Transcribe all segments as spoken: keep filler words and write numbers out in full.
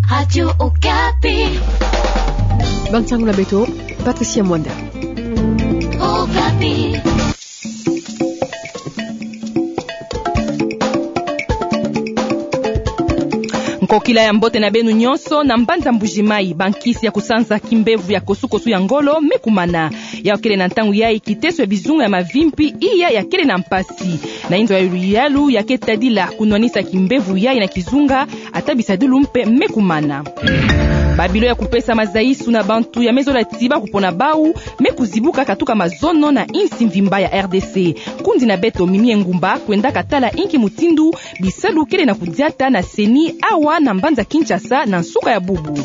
Radio Okapi. Bansangu na beto, Patricia Mwanda. Okapi. Nkokila ya mbote na beno nyonso. Na mbanza Mbuji-Mayi, bankisi ya kusanza kimbevo ya kosukosu ya ngolo me kumana. Yayi kele na ntangu yayi kiteso ya bizunga ya mavimpi iya ya kele na mpasi. Na inzo ya luyalu ya ke tadila kunwanisa kimbevo yayi na kizunga, ata bisadulu mpe me kumana. Babilo ya kupesa mazayisu na bantu ya me zola tiba kupona bau me kuzibuka katuka mazono na insi mvimba ya R D C. Nkundi na beto Mimi Engumba kwendaka tala inki mutindu bisalu kele na kudiata na CENI awa na mbanza Kinshasa na nsuka ya bubu.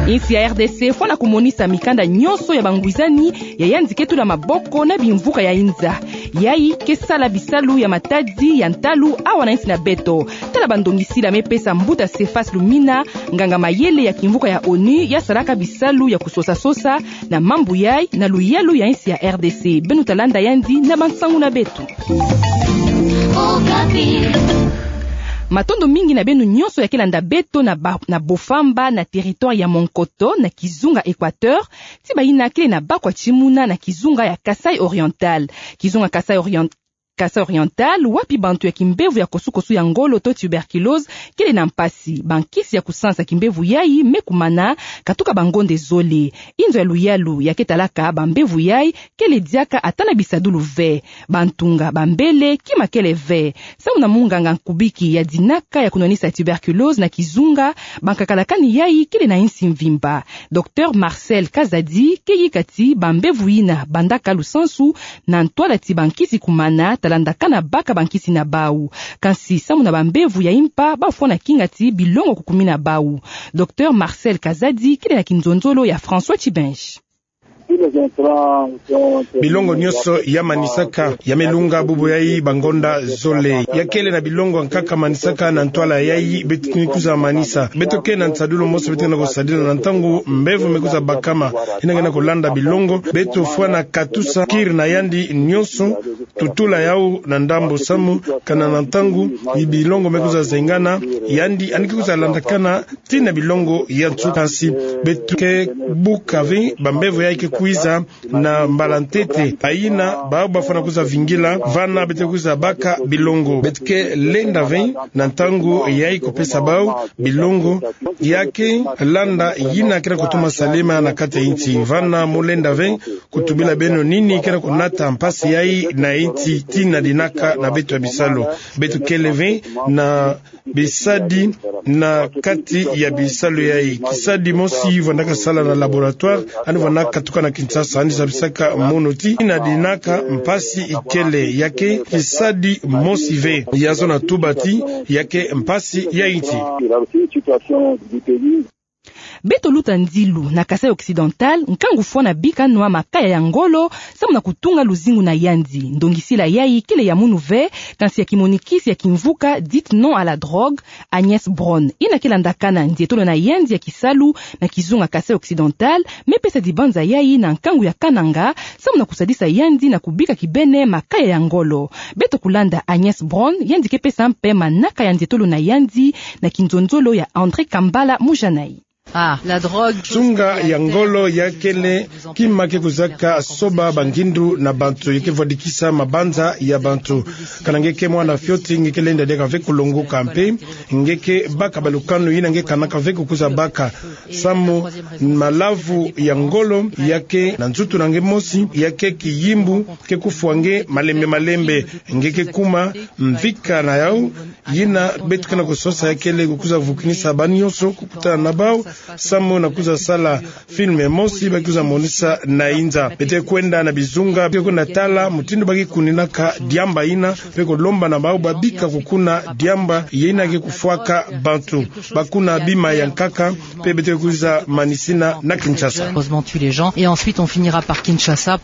Insi ya R D C fwana kumonisa mikanda nyonso ya bangwizani ya yandi ke tula maboko na bimvuka ya inza. Yayi ke sala bisalu ya matadi ya ntalu awa na insi na beto. Tala bandongisila me pesa mbuta Cephas Lumina, nganga mayele ya kimvuka ya ONU ya salaka bisalu ya kusosa-sosa na mambu yayi na luyalu ya insi ya R D C. Beno ta landa yandi na bansangu na beto. Matondo mingi na beno nyonso ya ke landa beto na ba-, na Bofamba, na territoire ya Monkoto, na kizunga Equateur, ti bayina kele na bakwa timuna na kizunga ya Kasaï Oriental. Kizunga Kasaï Orient-, Kasaï Oriental, wapi bantu ya kimbevo ya kosukosu ya ngolo to tuberculose kele na mpasi. Bankisi ya kusansa kimbevo yayi me kumana katuka bangonde zole. Inzo ya luyalu ya ke talaka bambevo yayi kele diaka ata na bisadulu ve. Bantunga, bambele, kima kele ve. Samu na munganga nkubiki ya dinaka ya kunwanisa tuberculose na kizunga, bankakalakani yayi kele na insi mvimba. Docteur Marcel Kazadi ke yika ti bambevo yina bandaka lusansu na ntwala ti bankisi kumana, ta landakana baka bankisi na bau. Kansi samu na bambevo ya impa, bafwana kinga ti bilongo kukumina bau. Docteur Marcel Kazadi kele na kinzonzolo ya François Tibenji. Bilongo nyonso ya manisaka, ya me lunga bubu yayi bangonda zole. Ya kele na bilongo nkaka manisaka na ntwala yayi, beto ni kwiza manisa. Beto ke na nsadulu mosi beto ke na kusadila na ntangu mbevo me kwiza bakama. Yina ke na kulanda bilongo, beto fwana katusa kiri na yandi nyonso, tutula yau na ndambu samu, kana na ntangu bilongo me kwiza zengana, yandi ani ke kwiza landakana tii na bilongo ya nsuka. Kansi beto ke buka ve bambevo yayi ke kwiza na mbala ntete. Bayina, bau bafwana kwiza vingila, vana beto kwiza baka bilongo. Beto ke lenda ve na ntangu yayi kupesa bau bilongo, ya ke landa yina ke na kutuma salama na kati ya insi. Vana mu lenda ve kutubila beno nini ke na kunata mpasi yayi na insi tii na dinaka na beto ya bisalu. Beto kele ve na bisadi na kati ya bisalu yayi. Kisadi mosi vandaka sala na laboratoire, ani vandaka tuka na Kinshasa, ani zabisaka mono tii na dinaka mpasi ikele, ya ke kisadi mosi ve. Ya zona tuba tii, ya ke mpasi ya insi. Beto luta nzilu na Kasaï Occidental, nkangu fwana bika nwa makaya ya ngolo samu na kutunga luzingu na yandi. Ndongisila yayi kele ya munu ve, kansi ya kimonikisi ya kimvuka dite non à la drogue, Agnès Bron, yina ke landakana ndietolo na yandi ya kisalu na kizunga Kasaï Occidental, me pesa dibanza yayi na nkangu ya Kananga, samu na kusadisa yandi na kubika kibeni makaya ya ngolo. Beto kulanda Agnès Bron, yandi ke pesa mpe manaka ya ndietolo na yandi na kinzonzolo ya André Kambala Mujanai. Ah, la drogue. Nsunga ya ngolo ya kele kima ke kuzaka soba bangindu na bantu, ya ke vwadikisa mabanza ya bantu. Kana nge ke mwana fioti, nge ke lenda diaka ve kulongoka mpe nge ke baka balukanu yina nge kanaka ve kukuza baka. Samu malavu ya ngolo ya ke na nzutu na nge mosi, ya ke kiyimbu ke kufwa nge malembe malembe, nge ke kuma mvika na yau. Yina beto ke na kusosa ya kele kukuza vukinisa banyonso kukutana na bau, samu na kuza sala film mosi ba kuza monisa na inza. Beto kwenda na bizunga, beto kwenda tala mutindu ba ke kuninaka diamba yina, mpe kulomba na bau babika kukuna diamba yina ke kufwaka bantu. Bakuna bima ya nkaka, mpe beto kuza manisina na Kinshasa. Heureusement tue les gens et ensuite on finira par Kinshasa.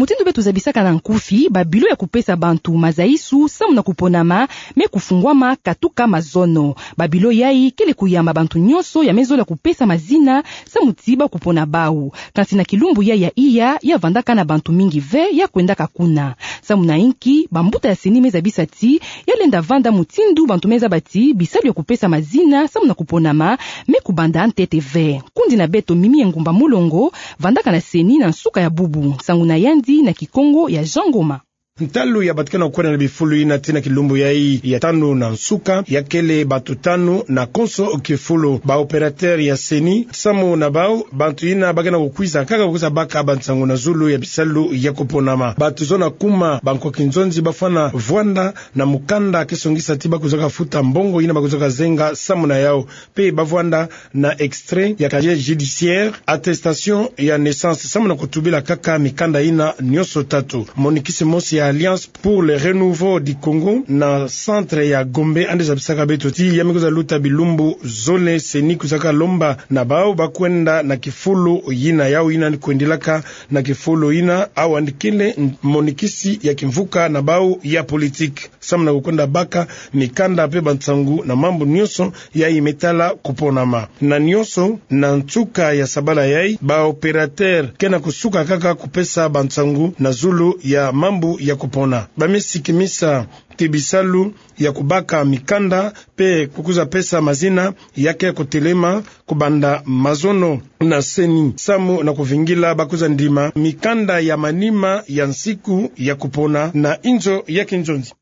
Mutindu beto zabisaka na nkufi, babilo ya kupesa bantu mazaisu samu na kuponama me kufungwama katuka mazono. Babilo yai kele kuyamba bantu nyonso ya me zola kupesa mazina samu ti ba kupona bau. Kansi na kilumbu yai ya iya, ya vandaka na bantu mingi ve ya kwendaka kuna. Samu na inki, bambuta ya CENI me zabisa ti ya lenda vanda mutindu bantu me zaba ti bisalu ya kupesa mazina samu na kuponama me kubanda ntete ve. Kundi na beto Mimi Engumba Mulongo vandaka na CENI na nsuka ya bubu. Nsangu na yandi na Kikongo ya Jean Ngoma. Ntalu ya batikana kwenda na bifulu ina tii na kilumbu yai ya tanu na nsuka, ya kele bantu tanu na konso kifulu. Ba opérateur ya CENI, samu na bau, bantu ina bakena kukwiza kaka kukwiza baka bansangu na zulu ya bisalu ya kuponama. Bantu zona kuma, bankoki nzonzi bafwana vwanda na mukanda ke songisa ti bakwizaka futa mbongo ina bakwizaka zenga samu na yau. Pe bavwanda na extrait ya casier judiciaire, attestation ya naissance, samu na kutubila kaka mikanda ina nyonso tatu. Monikisi mosi ya Alliance pour le Renouveau du Congo na centre ya Gombe, andi zabisaka beto ti ya me kwiza luta bilumbu zole CENI kwizaka lomba na bau bakwenda na kifulu ina, yau ina andi kwendilaka na kifulu ina, au andi kele monikisi ya kimvuka na bau ya politique. Samu na kukwenda baka mikanda pe bansangu na mambu nyonso yai me tala kuponama. Na nyonso, na nsuka ya sabala yai, ba opérateur kena kusuka kaka kupesa bansangu na zulu ya mambu ya kupona. Ba me sikimisa ti bisalu ya kubaka mikanda pe kukwiza pesa mazina ya ke kutelema kubanda mazono na CENI, samu na kuvingila bakwiza ndima mikanda ya manima ya nsiku ya kupona na inzo ya kinzonzi.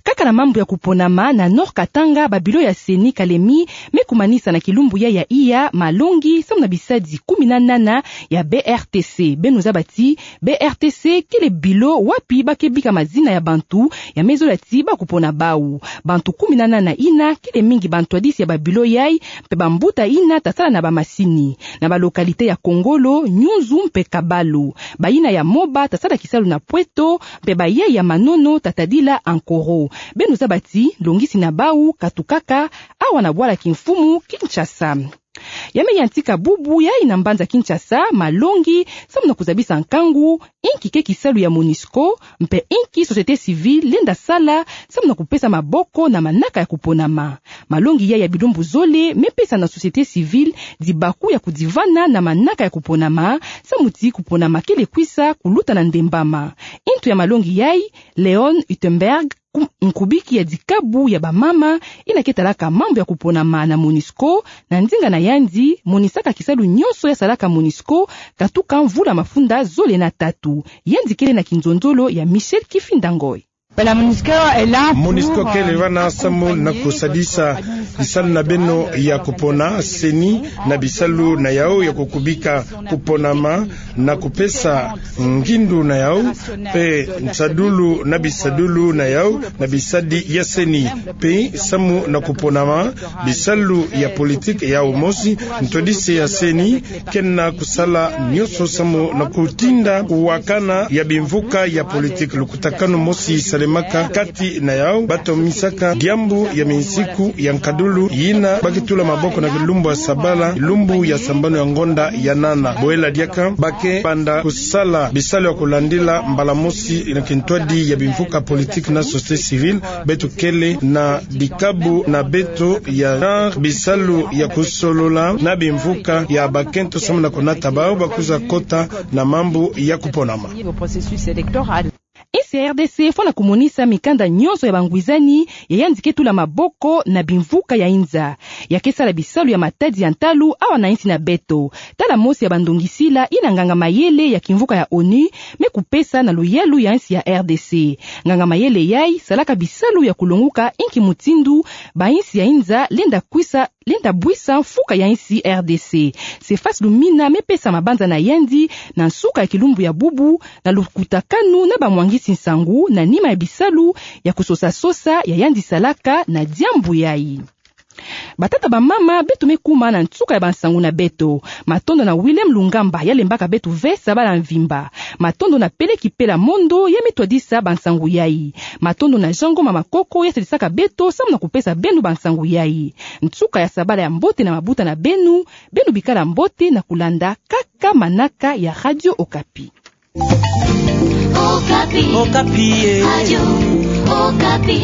Kaka na mambu ya kuponama na Nord Katanga, babilo ya CENI Kalemi me kumanisa na kilumbu yai ya iya malongi samu na bisadi kumi na nana ya BRTC. Beno zaba ti BRTC kele bilo wapi ba ke bika mazina ya bantu ya me zola ti ba kupona bau. Bantu kumi na nana ina kele mingi bantwadisi ya babilo yai, pe bambuta ina tasala na bamasini. Na ba localité ya Kongolo, Nyunzu mpe Kabalo. Bayina ya Moba tasala kisalu na Pweto, mpe bayai ya Manono tatadila Ankoro. Beno zaba ti longisi na bau katukaka awa na bwala kimfumu Kinshasa. Ya me yantika bubu yai na mbanza Kinshasa malongi samu na kuzabisa nkangu, inki ke kisalu ya MONUSCO, mpe inki société civile lenda sala samu na kupesa maboko na manaka ya kuponama. Malongi yai ya bilumbu zole me pesa na société civile dibaku ya kudivana na manaka ya kuponama, samu ti kuponama kele kwisa kuluta na ndembama. Intu ya malongi yai, Leon Huttenberg, ku-, nkubiki ya dikabu ya bamama ina ke talaka mambu ya kuponama na MONUSCO, na ndinga na yandi, monisaka kisalu nyonso ya salaka MONUSCO katuka mvula mafunda zole na tatu. Yandi kele na kinzonzolo ya Michel Kifinda Ngoy. MONUSCO kele vana samu na kusadisa bisalu na beno ya kupona, CENI, na bisalu na yau ya kukubika kuponama na kupesa ngindu na yau, pe nsadulu na bisadulu na yau na bisadi ya CENI, pe samu na kuponama bisalu ya politique yau mosi. Ntwadisi ya CENI kena kusala nyonso samu na kutinda kuwakana ya bimvuka ya politique. Lukutakanu mosi salemaka kati na yau, ba tomisaka diambu ya minsiku ya nkadulu yina ba ke tula maboko na kilumbu ya sabala, lumbu ya sambanu ya ngonda ya nana. Bwela diaka ba ke banda kusala bisalu ya kulandila mbala mosi na kintwadi ya bimvuka politique na société civile. Beto kele na dikabu na beto ya genre, bisalu ya kusolola na bimvuka ya bakento samu na kunata bau ba kwiza kota na mambu ya kuponama. Insi ya RDC fwana kumonisa mikanda nyonso ya bangwizani ya yandi ke tula maboko na bimvuka ya inza. Ya ke sala bisalu ya matadi ya ntalu awa na insi na beto. Tala mosi ya bandongisila ina nganga mayele ya kimvuka ya ONU me kupesa na luyalu ya insi ya RDC. Nganga mayele yai salaka bisalu ya kulonguka inki mutindu bainsi ya inza lenda kwisa, lenda bwisa mfuka ya insi RDC. Cephas Lumina me pesa mabanza na yandi na nsuka ya kilumbu ya bubu na lukutakanu na bamwangisi nsangu na nima ya bisalu ya kusosa-sosa ya yandi salaka na diambu yai. Batata, bamama, beto me kuma na nsuka ya bansangu na beto. Matondo na Willem Lungamba ya lembaka beto ve sabala mvimba. Matondo na Peleki Pela Mondo ya me twadisa bansangu yai. Matondo na Jean Ngoma Makoko ya sadisaka beto samu na kupesa beno bansangu yai. Nsuka ya sabala ya mbote na mabuta na beno, beno bikala mbote na kulanda kaka manaka ya Radio Okapi. Okapi. Okapi, eh. Radio Okapi.